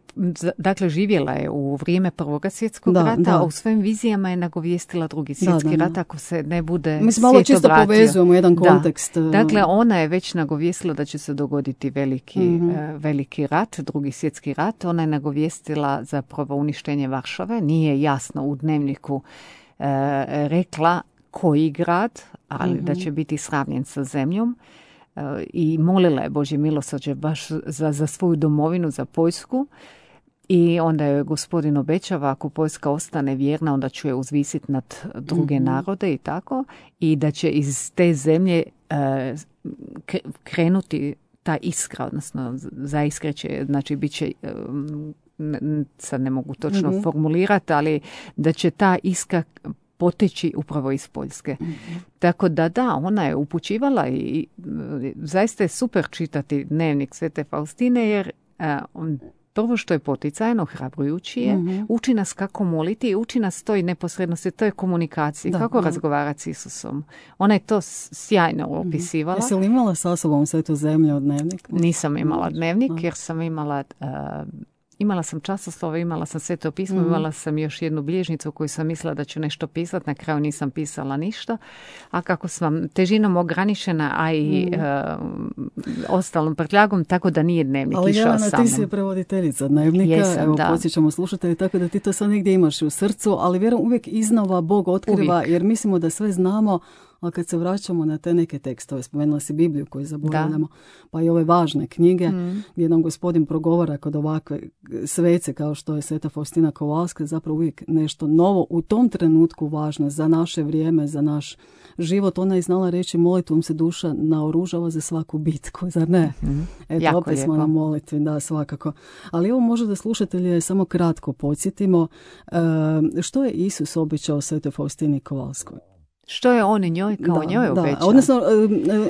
dakle, živjela je u vrijeme Prvoga svjetskog da, rata, da. a u svojim vizijama je nagovijestila Drugi svjetski da, da, rat, ako se ne bude Mislim, malo čisto vratio. Povezujemo jedan kontekst. Da. Dakle, ona je već nagovijestila da će se dogoditi veliki, mm-hmm. e, veliki rat, Drugi svjetski rat. Ona je nagovijestila zapravo uništenje Varšave. Nije jasno u dnevniku e, rekla koji grad, ali mm-hmm. da će biti sravnjen sa zemljom. I molila je Božje milosrđe baš za, za svoju domovinu, za Poljsku. I onda je Gospodin obećava, ako Poljska ostane vjerna, onda će je uzvisiti nad druge mm-hmm. narode i tako. I da će iz te zemlje e, krenuti ta iskra, odnosno zaiskreće, znači bit će, e, sad ne mogu točno mm-hmm. formulirati, ali da će ta iskra poteći upravo iz Poljske. Mm-hmm. Tako da da, ona je upućivala i zaista je super čitati dnevnik Svete Faustine, jer a, on, prvo što je poticajno, hrabrujući je, mm-hmm. uči nas kako moliti i uči nas toj neposrednosti, toj komunikaciji, da, kako da. razgovarati s Isusom. Ona je to sjajno opisivala. Jesi li imala sa sobom Svetu zemlju od dnevnik? Nisam imala dnevnik, jer sam imala... A, Imala sam časoslove, imala sam Sveto pismo, mm-hmm. imala sam još jednu bilježnicu koju sam mislila da ću nešto pisati, na kraju nisam pisala ništa. A kako sam težinom ograničena, a i mm-hmm. uh, ostalom prtljagom, tako da nije dnevnik ali išao Jelena, sa mnom. ti si prevoditeljica dnevnika, Jesam, evo da. podsjećamo slušatelji, tako da ti to sad negdje imaš u srcu, ali vjerujem uvijek iznova Bog otkriva, uvijek. Jer mislimo da sve znamo, a kad se vraćamo na te neke tekstove, spomenula si Bibliju koju zaboravljamo, da. pa i ove važne knjige, mm. gdje nam Gospodin progovara kod ovakve svece kao što je Sveta Faustina Kowalska, zapravo uvijek nešto novo u tom trenutku važno za naše vrijeme, za naš život. Ona je znala reći, molitvom se duša naoružava za svaku bitku, zar ne? Mm. Eto, jako opet lijepo. Smo na molitvi, da, svakako. Ali evo možda da slušatelje samo kratko podsjetimo, e, što je Isus obećao Svetoj Faustini Kowalskoj? Što je on njoj kao da, njoj obećao? Da, odnosno,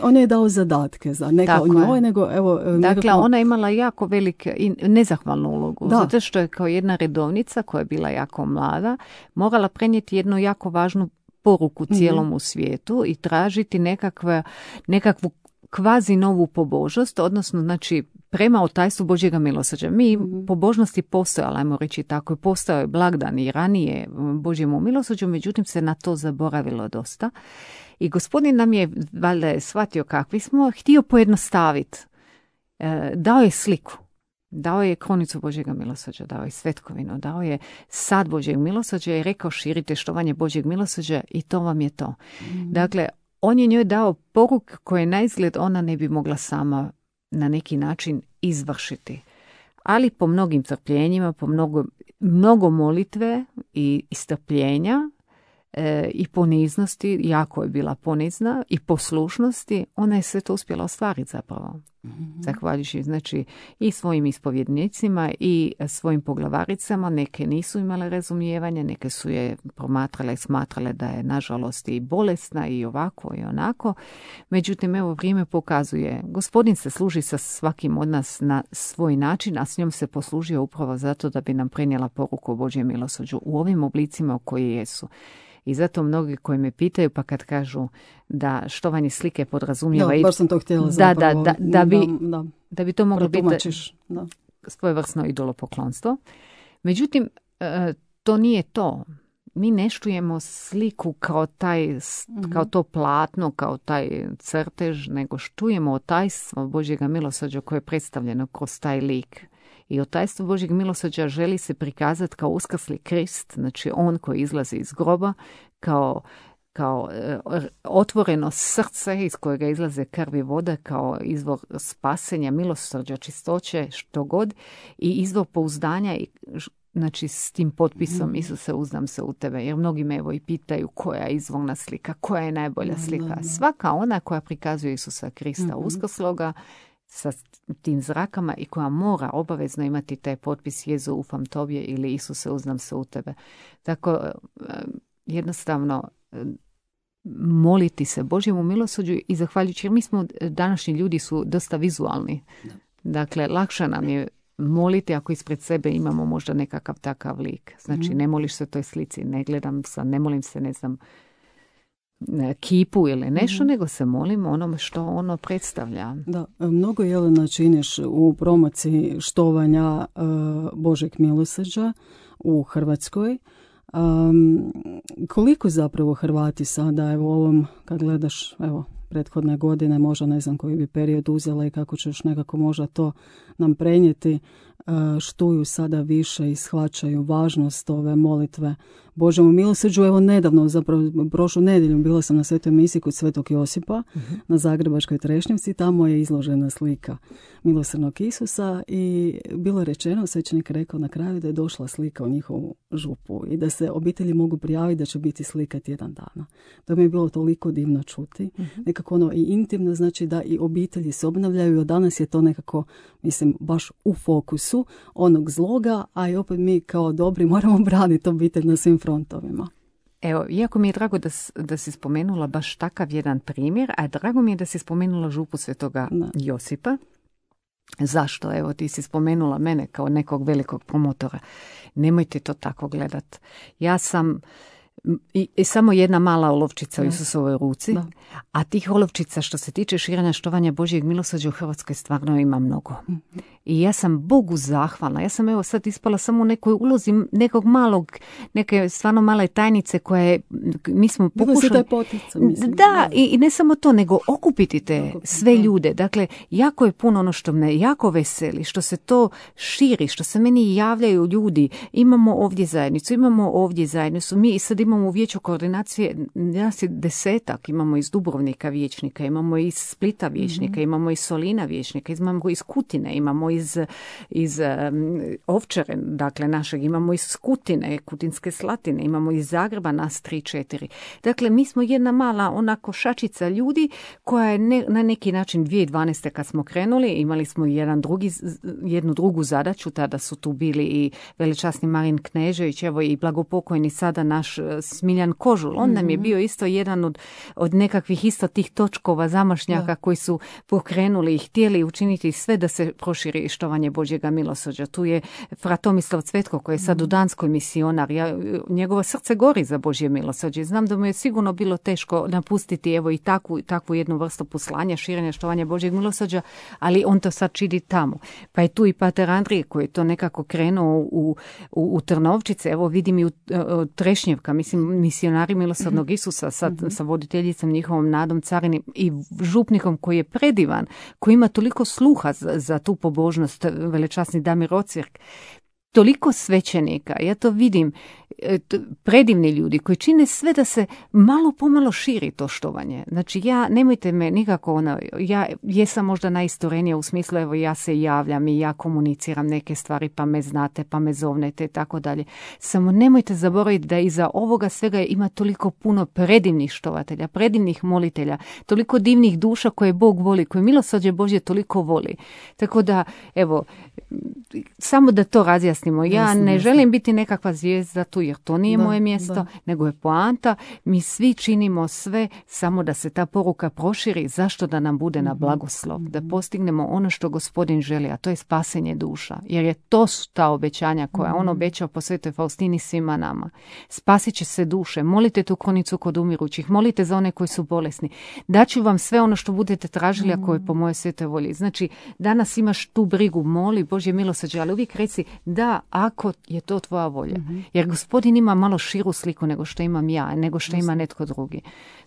on je dao zadatke, za ne kao njoj, nego evo... Dakle, nekako... ona je imala jako velike i nezahvalnu ulogu, da. zato što je kao jedna redovnica koja je bila jako mlada, morala prenijeti jednu jako važnu poruku cijelom mm-hmm. u svijetu i tražiti nekakve, nekakvu kvazi novu pobožnost, odnosno, znači, prema otajstvu Božjega milosrđa. Mi mm-hmm. pobožnosti postojala, ajmo reći tako, postojao je blagdan i ranije Božjemu milosrđu, međutim se na to zaboravilo dosta. I Gospodin nam je, valjda je shvatio kakvi smo, htio pojednostaviti. E, dao je sliku. Dao je kronicu Božjega milosrđa, dao je svetkovinu, dao je sad Božjeg milosrđa i rekao širite štovanje Božjeg milosrđa i to vam je to. Mm-hmm. Dakle, on je njoj dao poruk koje na izgled ona ne bi mogla sama na neki način izvršiti. Ali po mnogim trpljenjima, po mnogo, mnogo molitve i, i strpljenja e, i poniznosti, jako je bila ponizna, i poslušnosti, ona je sve to uspjela ostvariti zapravo. Mm-hmm. Zahvaljujući, znači, i svojim ispovjednicima i svojim poglavaricama. Neke nisu imale razumijevanja, neke su je promatrale i smatrale da je nažalost i bolesna i ovako i onako. Međutim, evo, vrijeme pokazuje, Gospodin se služi sa svakim od nas na svoj način, a s njom se poslužio upravo zato da bi nam prenijela poruku o Božjem milosrđu u ovim oblicima u koji jesu. I zato mnogi koji me pitaju, pa kad kažu da štovanje slike podrazumijeva... Da, baš sam to htjela da, zapravo. Da, da, da, bi, da, da bi to moglo biti da. svojevrsno idolopoklonstvo. Međutim, to nije to. Mi ne štujemo sliku kao, taj, kao to platno, kao taj crtež, nego štujemo otajstvo Božjega milosrđa koje je predstavljeno kroz taj lik. I otajstvo Božjeg milosrđa želi se prikazati kao uskrsli Krist, znači on koji izlazi iz groba, kao, kao otvoreno srce iz kojega izlaze krv i voda, kao izvor spasenja, milosrđa, čistoće, što god, i izvor pouzdanja i znači s tim potpisom Isuse uzdam se u tebe, jer mnogi me evo i pitaju koja je izvorna slika, koja je najbolja slika. Svaka ona koja prikazuje Isusa Krista uskrsloga sa tim zrakama i koja mora obavezno imati taj potpis Jezu ufam tobje ili Isuse uzdam se u tebe. Tako jednostavno moliti se Božjemu milosrđu i zahvaljujući, jer mi smo, današnji ljudi su dosta vizualni. Dakle, lakše nam je moliti ako ispred sebe imamo možda nekakav takav lik. Znači, ne moliš se toj slici, ne gledam sa, ne molim se, ne znam, kipu ili nešto, mm-hmm. nego se molim onome što ono predstavlja. Da, mnogo, Jelena, činiš u promociji štovanja uh, Božeg milosrđa u Hrvatskoj. Um, koliko zapravo Hrvati sada, evo ovom, kad gledaš, evo, prethodne godine, možda ne znam koji bi period uzela i kako ćeš nekako možda to nam prenijeti, štuju sada više i shvaćaju važnost ove molitve Božjemu milosrđu. Evo nedavno, zapravo prošlu nedjelju, bila sam na svetoj misiji kod Svetog Josipa uh-huh. na Zagrebačkoj Trešnjevci. Tamo je izložena slika milosrdnog Isusa i bilo je rečeno, svećenik rekao na kraju, da je došla slika u njihovu župu i da se obitelji mogu prijaviti da će biti slika tjedan dana. To mi je bilo toliko divno čuti. Uh-huh. Nekako ono i intimno, znači da i obitelji se obnavljaju, a danas je to nekako, mislim, baš u fokusu onog zloga, a i opet mi kao dobri moramo braniti obitelj na svim frontovima. Evo, iako mi je drago da, da si spomenula baš takav jedan primjer, a drago mi je da si spomenula župu Svetoga da. Josipa. Zašto? Evo, ti si spomenula mene kao nekog velikog promotora. Nemojte to tako gledat. Ja sam I, i samo jedna mala olovčica u Isusovoj ruci, da. A tih olovčica što se tiče širenja štovanja Božjeg milosrđa u Hrvatskoj stvarno ima mnogo. Mm-hmm. I ja sam Bogu zahvalna. Ja sam evo sad ispala samo u nekoj ulozi nekog malog, neke stvarno male tajnice koje mi smo pokušali... Potica, mislim, da, da. I, i ne samo to, nego okupiti te sve ljude. Dakle, jako je puno ono što me jako veseli, što se to širi, što se meni javljaju ljudi. Imamo ovdje zajednicu, imamo ovdje zajednicu. Mi i sad imamo u vijeću koordinacije, nas je desetak, imamo iz Dubrovnika vijećnika, imamo iz Splita vijećnika, mm-hmm. imamo iz Solina vijećnika, imamo iz Kutine, imamo iz, iz um, Ovčare, dakle našeg, imamo iz Kutine, Kutinske Slatine, imamo iz Zagreba nas tri, četiri. Dakle, mi smo jedna mala onako šačica ljudi koja je ne, na neki način dvije tisuće dvanaeste kad smo krenuli, imali smo jedan drugi, jednu drugu zadaću, tada su tu bili i veličasni Marin Knežević, evo i blagopokojni sada naš Smiljan Kožul. On nam je bio isto jedan od, od nekakvih isto tih točkova zamašnjaka da. Koji su pokrenuli i htjeli učiniti sve da se proširi štovanje Božjega milosrđa. Tu je fra Tomislav Cvetko koji je sad u Danskoj misionar. Ja, njegovo srce gori za Božje milosrđe. Znam da mu je sigurno bilo teško napustiti evo i takvu, takvu jednu vrstu poslanja, širenja štovanja Božjeg milosrđa, ali on to sad čini tamo. Pa je tu i pater Andrije koji je to nekako krenuo u, u, u Trnovčice. Evo vidim i u, u Trešnjevka, mislim misionari milosrdnog Isusa sad mm-hmm. sa voditeljicom njihovom Nadom Carini i župnikom koji je predivan, koji ima toliko sluha za, za tu pobožnost, velečasni Damir Ocirk, toliko svećenika, ja to vidim, predivni ljudi koji čine sve da se malo pomalo širi to štovanje. Znači ja, nemojte me nikako, ono, ja jesam možda najistorenija u smislu, evo ja se javljam i ja komuniciram neke stvari, pa me znate, pa me zovnete i tako dalje. Samo nemojte zaboraviti da iza ovoga svega ima toliko puno predivnih štovatelja, predivnih molitelja, toliko divnih duša koje Bog voli, koje milosrđe Božje toliko voli. Tako da, evo, samo da to razjasnimo. Ja ne želim biti nekakva zvijezda tu jer to nije da, moje mjesto, da. nego je poanta. Mi svi činimo sve samo da se ta poruka proširi, zašto da nam bude na blagoslov, da postignemo ono što Gospodin želi, a to je spasenje duša. Jer je to su ta obećanja koja on obećao po Svetoj Faustini svima nama. Spasit će se duše, molite tu kronicu kod umirućih, molite za one koji su bolesni. Daću vam sve ono što budete tražili ako je po moje svetoj volji. Znači, danas imaš tu brigu, moli Božje milosrđe, ali uvijek reci da, ako je to tvoja volja. Jer Gospodin ima malo širu sliku nego što imam ja, nego što ima netko drugi.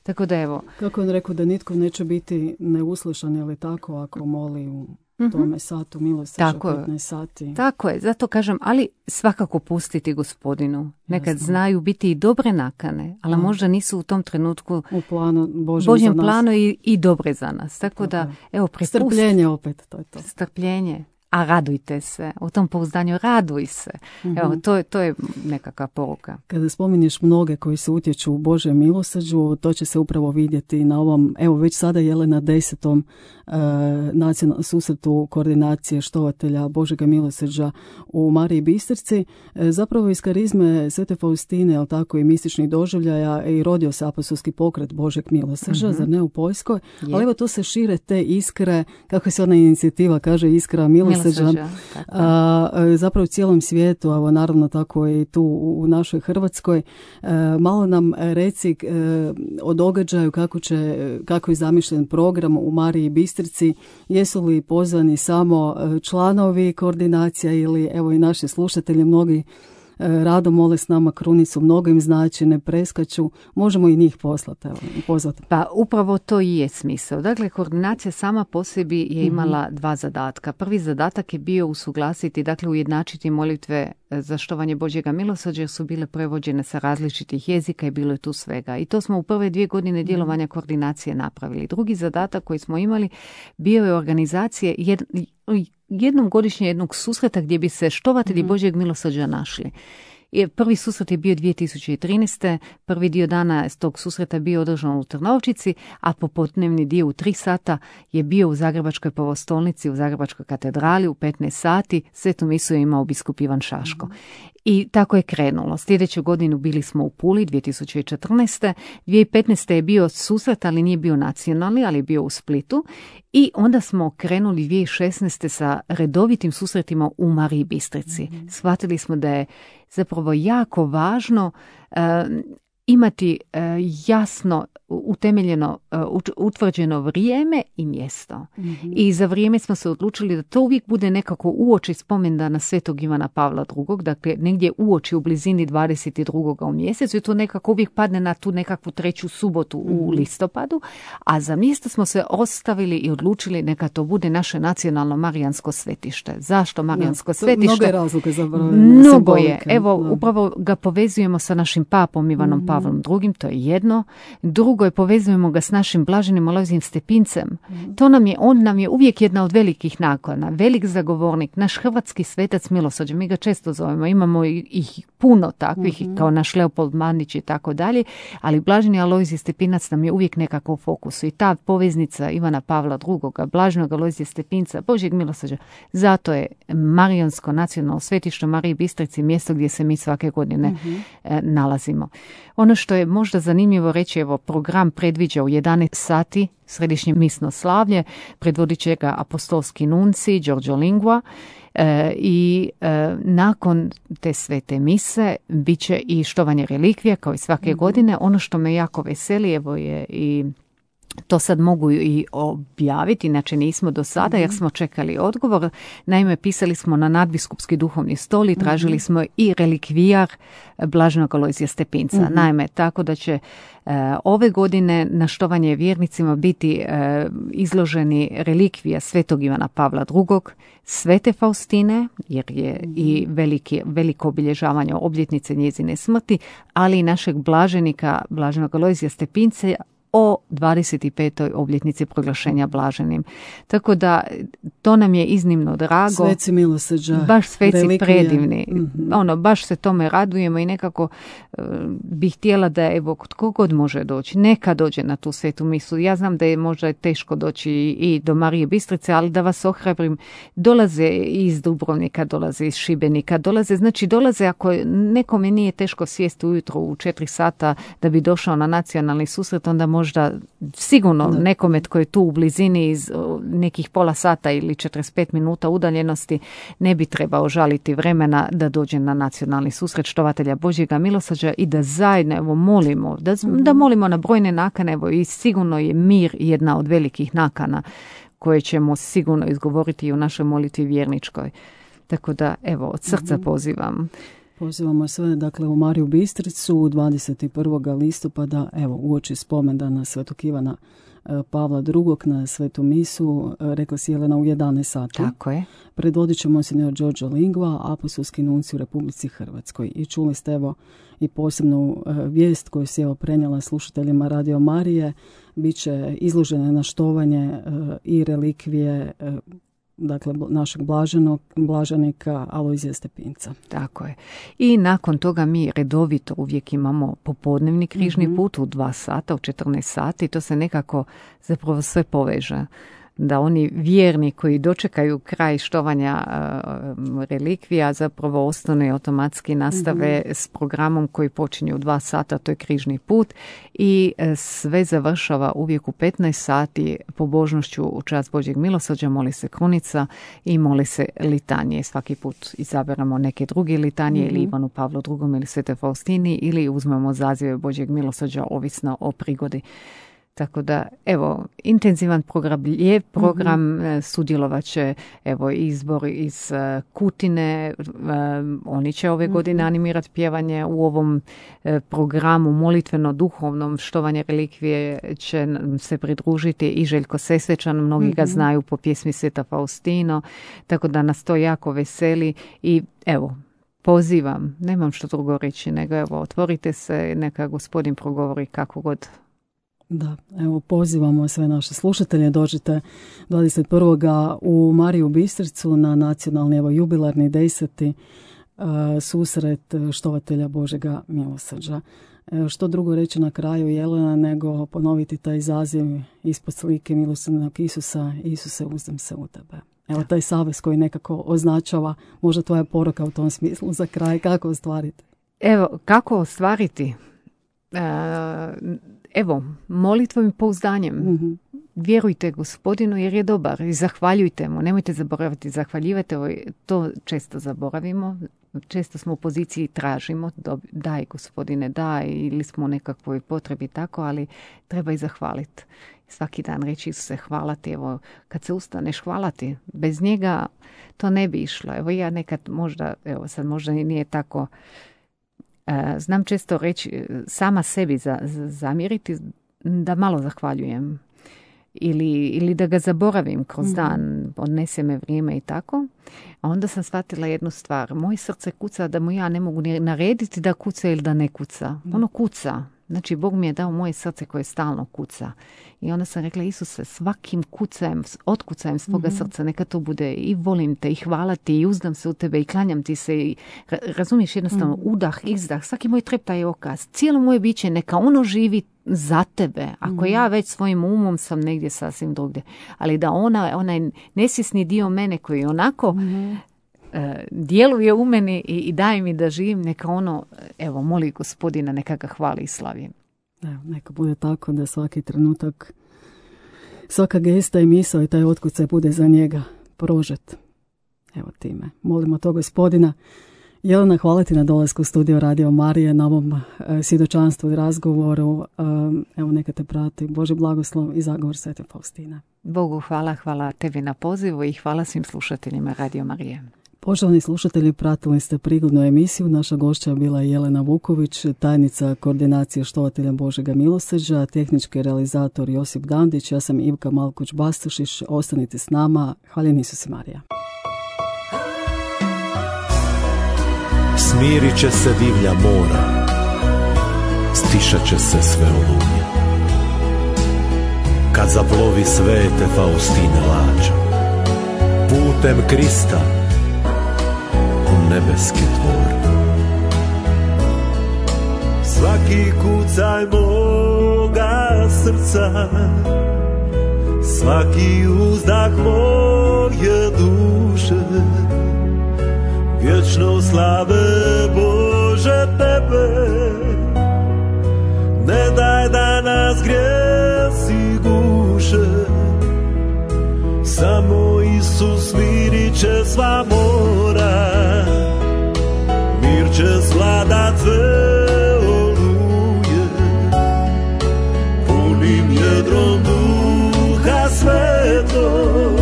Tako da evo. Kako on rekao da nitko neće biti neuslušan ili tako ako moli u tome satu milosrđa petnaest sati. Tako je, zato kažem, ali svakako pustiti Gospodinu. Nekad Jasno. znaju biti i dobre nakane, ali mm. možda nisu u tom trenutku u planu Božjem, Božjem za nas. planu i, i dobre za nas. Tako, Tako da, je. evo, prepustite. Strpljenje opet, to je to. Strpljenje. A radujte se. U tom pouzdanju raduj se. Mm-hmm. Evo, to je, to je nekakva poruka. Kada spominješ mnoge koji se utječu u Božjem milosrđu, to će se upravo vidjeti na ovom, evo već sada je na desetom uh, nacionalnom susretu koordinacije štovatelja Božjega milosrđa u Mariji Bistrici. E, zapravo iz karizme Svete Faustine, ali tako i mističnih doživljaja, i rodio se apostolski pokret Božjeg milosrđa, mm-hmm. zar ne u Poljskoj? Je. Ali evo to se šire te iskre, kako se ona inicijativa kaže, iskra milosrđa. A, zapravo u cijelom svijetu, evo naravno tako i tu u našoj Hrvatskoj. A, malo nam reci a, o događaju kako, će, kako je zamišljen program u Mariji Bistrici. Jesu li pozvani samo članovi koordinacija ili evo i naši slušatelji, mnogi rado mole s nama krunicu, mnogo im znači, ne preskaču, možemo i njih poslati, evo, pozvati. Pa upravo to i je smisao. Dakle, koordinacija sama po sebi je imala mm-hmm. dva zadatka. Prvi zadatak je bio usuglasiti, dakle ujednačiti molitve za štovanje Božjega milosrđa, jer su bile prevođene sa različitih jezika i bilo je tu svega. I to smo u prve dvije godine djelovanja koordinacije napravili. Drugi zadatak koji smo imali bio je organizacije jed, jednom godišnje jednog susreta gdje bi se štovatelji mm-hmm. Božjeg milosrđa našli. Prvi susret je bio dvije tisuće trinaeste. Prvi dio dana s tog susreta bio održan u Trnovčici, a popodnevni dio u tri sata je bio u Zagrebačkoj prvostolnici, u Zagrebačkoj katedrali u petnaest sati. Svetu misu je imao biskup Ivan Šaško. I tako je krenulo. Sljedeću godinu bili smo u Puli dvije tisuće četrnaeste. dvije tisuće petnaeste. je bio susret, ali nije bio nacionalni, ali je bio u Splitu. I onda smo krenuli dvije tisuće šesnaeste. sa redovitim susretima u Mariji Bistrici. Mm-hmm. Shvatili smo da je zapravo jako važno uh, imati uh, jasno utemeljeno, uh, utvrđeno vrijeme i mjesto. Mm-hmm. I za vrijeme smo se odlučili da to uvijek bude nekako uoči spomendana Svetog Ivana Pavla drugog, dakle negdje uoči u blizini dvadeset drugog u mjesecu i to nekako uvijek padne na tu nekakvu treću subotu mm-hmm. u listopadu, a za mjesto smo se ostavili i odlučili neka to bude naše nacionalno marijansko svetište. Zašto marijansko ja, svetište? Mnogo je razloga za broj. Mnogo je. Evo, da. Upravo ga povezujemo sa našim papom Ivanom mm-hmm. Pavlom drugim, to je jedno. Drugo je povezujemo ga s našim blaženim Alojzijem Stepincem. Mm-hmm. To nam je, on nam je uvijek jedna od velikih nakona, velik zagovornik, naš hrvatski svetac milosrđa, mi ga često zovemo, imamo ih puno takvih, mm-hmm. kao naš Leopold Mandić i tako dalje, ali blaženi Alojzij Stepinac nam je uvijek nekako u fokusu i ta poveznica Ivana Pavla drugog, blaženog Alojzija Stepinca, Božjeg milosrđa, zato je Marijansko nacionalno svetište Mariji Bistrici mjesto gdje se mi svake godine mm-hmm. e, nalazimo. Ono što je možda zanimljivo reći, evo, program predviđa u jedanaest sati središnje misno slavlje, predvodit će ga apostolski nunci Giorgio Lingua e, i e, nakon te svete mise bit će i štovanje relikvija kao i svake mm-hmm. godine. Ono što me jako veseli, evo je i to sad mogu i objaviti, inače nismo do sada jer smo čekali odgovor. Naime, pisali smo na nadbiskupski duhovni stol i tražili smo i relikvijar blaženog Alojzija Stepinca. Mm-hmm. Naime, tako da će e, ove godine na štovanje vjernicima biti e, izloženi relikvija Svetog Ivana Pavla drugog, Svete Faustine, jer je mm-hmm. i veliki, veliko obilježavanje obljetnice njezine smrti, ali i našeg blaženika, blaženog Alojzija Stepinca, o dvadeset petoj obljetnici proglašenja blaženim. Tako da to nam je iznimno drago. Sveci milosrđa, baš sveci relikvija. predivni. Mm-hmm. Ono, baš se tome radujemo i nekako uh, bih htjela da evo tko god može doći, neka dođe na tu svetu misu. Ja znam da je možda teško doći i, i do Marije Bistrice, ali da vas ohrabrim, dolaze iz Dubrovnika, dolaze iz Šibenika, dolaze, znači dolaze ako nekome nije teško sjesti ujutro u četiri sata da bi došao na nacionalni susret, onda možda sigurno da. nekome tko je tu u blizini iz nekih pola sata ili četrdeset pet minuta udaljenosti ne bi trebao žaliti vremena da dođe na nacionalni susret štovatelja Božjega milosrđa i da zajedno evo molimo, da, mm-hmm. da molimo na brojne nakane, evo i sigurno je mir jedna od velikih nakana koje ćemo sigurno izgovoriti i u našoj molitvi vjerničkoj. Tako da evo od srca mm-hmm. pozivam. Pozivamo sve, dakle, u Mariju Bistricu dvadeset prvog listopada, evo, uoči spomendana Svetog Ivana Pavla drugog na svetu misu, rekla si Jelena, u jedanaest sati. Tako je. Predvodit će monsignor Đorđe Lingva, apostolski nunci u Republici Hrvatskoj. I čuli ste, evo, i posebnu vijest koju si, evo, prenijela slušateljima Radio Marije. Biće izložene na štovanje i relikvije dakle našeg blaženog, blaženika Alojzija Stepinca. Tako je. I nakon toga mi redovito uvijek imamo popodnevni križni mm-hmm. put u dva sata, u četrnaest sati. To se nekako zapravo sve poveže. Da oni vjerni koji dočekaju kraj štovanja uh, relikvija zapravo ostanu i automatski nastave mm-hmm. s programom koji počinje u dva sata, to je križni put i uh, sve završava uvijek u petnaest sati pobožnošću u čast Božjeg milosrđa, moli se krunica i moli se litanije. Svaki put izaberamo neke druge litanije mm-hmm. ili Ivanu Pavlu drugom ili Svete Faustini ili uzmemo zazive Božjeg milosrđa ovisno o prigodi. Tako da, evo, intenzivan program, lijep program, mm-hmm. sudjelovat će, evo, izbor iz uh, Kutine, uh, oni će ove mm-hmm. godine animirati pjevanje u ovom uh, programu molitveno-duhovnom štovanje relikvije će se pridružiti i Željko Sesvečan, mnogi mm-hmm. ga znaju po pjesmi Sveta Faustino, tako da nas to jako veseli i evo, pozivam, nemam što drugo reći, nego evo, otvorite se, neka Gospodin progovori kako god. Da, evo pozivamo sve naše slušatelje, dođite dvadeset prvog u Mariju Bistricu na nacionalni, evo, jubilarni deseti uh, susret štovatelja Božega milosrđa. E, što drugo reći na kraju, Jelena, nego ponoviti taj zaziv ispod slike milosrdnog Isusa, Isuse, uzdam se u tebe. Evo taj savez koji nekako označava, možda tvoja poruka u tom smislu za kraj, kako ostvariti? Evo, kako ostvariti? Uh, Evo, molitvom i pouzdanjem. Mm-hmm. Vjerujte Gospodinu jer je dobar i zahvaljujte mu. Nemojte zaboraviti, zahvaljivati. To često zaboravimo. Često smo u poziciji tražimo. Daj Gospodine, daj, ili smo u nekakvoj potrebi tako, ali treba i zahvaliti. Svaki dan reći Isuse hvala ti. Evo, kad se ustaneš hvala ti. Bez njega to ne bi išlo. Evo ja nekad možda, evo sad možda nije tako. Znam često reći, sama sebi za, za, zamjeriti da malo zahvaljujem ili, ili da ga zaboravim kroz mm. dan, odnese me vrijeme i tako. A onda sam shvatila jednu stvar. Moje srce kuca da mu ja ne mogu narediti da kuca ili da ne kuca. Mm. Ono kuca. Znači, Bog mi je dao moje srce koje stalno kuca. I onda sam rekla, Isuse, svakim kucajem, otkucajem svoga mm-hmm. srca, neka to bude i volim te, i hvala ti, i uzdam se u tebe, i klanjam ti se, i razumiješ jednostavno, mm-hmm. udah, izdah, svaki moj treptaj okaz, cijelo moje biće, neka ono živi za tebe. Ako mm-hmm. ja već svojim umom sam negdje sasvim drugdje. Ali da ona, onaj nesvjesni dio mene koji onako mm-hmm. djeluje u meni i, i daje mi da živim, neka ono, evo, moli Gospodina, neka ga hvali i slavi. Evo, neka bude tako da svaki trenutak, svaka gesta i misao i taj otkucaj bude za njega prožet. Evo time. Molimo to Gospodina. Jelena, hvala ti na dolasku u studio Radio Marije, na ovom uh, svjedočanstvu i razgovoru. Um, evo, neka te prati Božji blagoslov i zagovor Svete Faustine. Bogu hvala, hvala tebi na pozivu i hvala svim slušateljima Radio Marije. Poštovani slušatelji, pratili ste prigodnu emisiju. Naša gošća bila je Jelena Vuković, tajnica koordinacije štovatelja Božega milosrđa, tehnički realizator Josip Dandić, ja sam Ivka Malkuć-Bastušić. Ostanite s nama. Hvaljen Isus i Marija. Smirit će se divlja mora, stišat će se sve oluje. kad zaplovi svete Faustine lađa, putem Krista u nebeske tvore. Svaki kucaj moga srca, svaki uzdah moje duše, vječno slave Bože tebe, ne daj da nas grijesi guše, samo Isus mirit će sva mora, mir će svladat sve oluje, punim jedrom Duha Svetog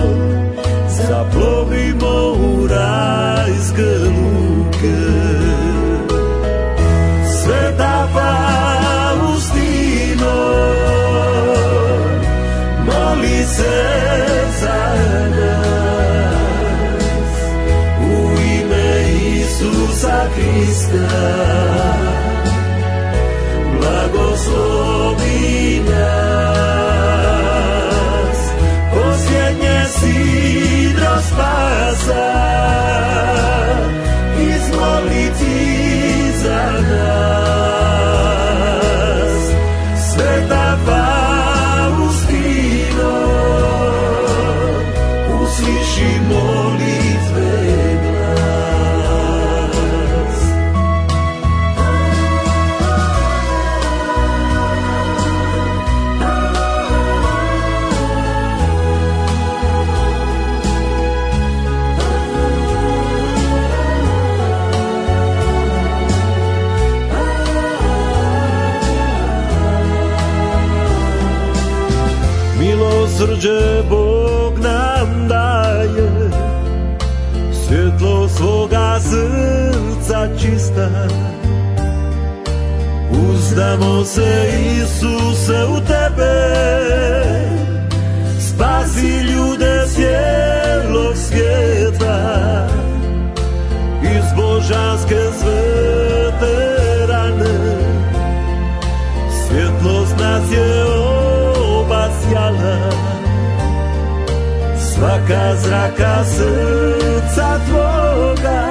zaplovimo u rajske luke. Sveta Faustino, moli se za nas, u ime Isusa Krista, blagoslovi nas, posljednje sidro spasa, izmoliti za nas. Sveta Faustino, usliši molitve glas. Milosrđe Bog nam daje, svjetlo svoga srca čista. Uzdamo se, Isuse, u tebe, spasi ljude cijelog svijeta. Iz božanske svete rane svjetlost nas je obasjala. Svaka zraka srca tvoga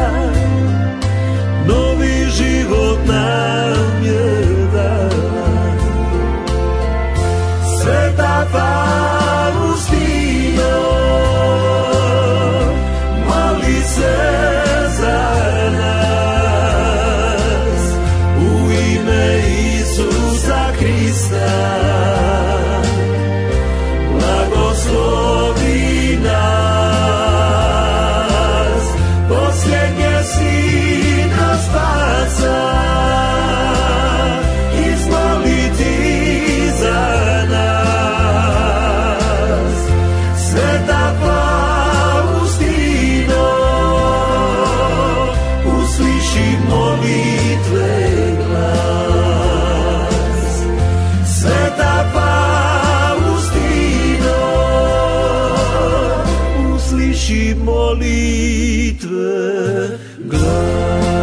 novi život nam je dala. Sveta Faustino, moli se za nas, u ime Isusa Krista, blagoslovi nas, posljednje sidro spasa, izmoliti za nas. Sveta Faustino, usliši molitve glas. Sveta Faustino, usliši molitve glas.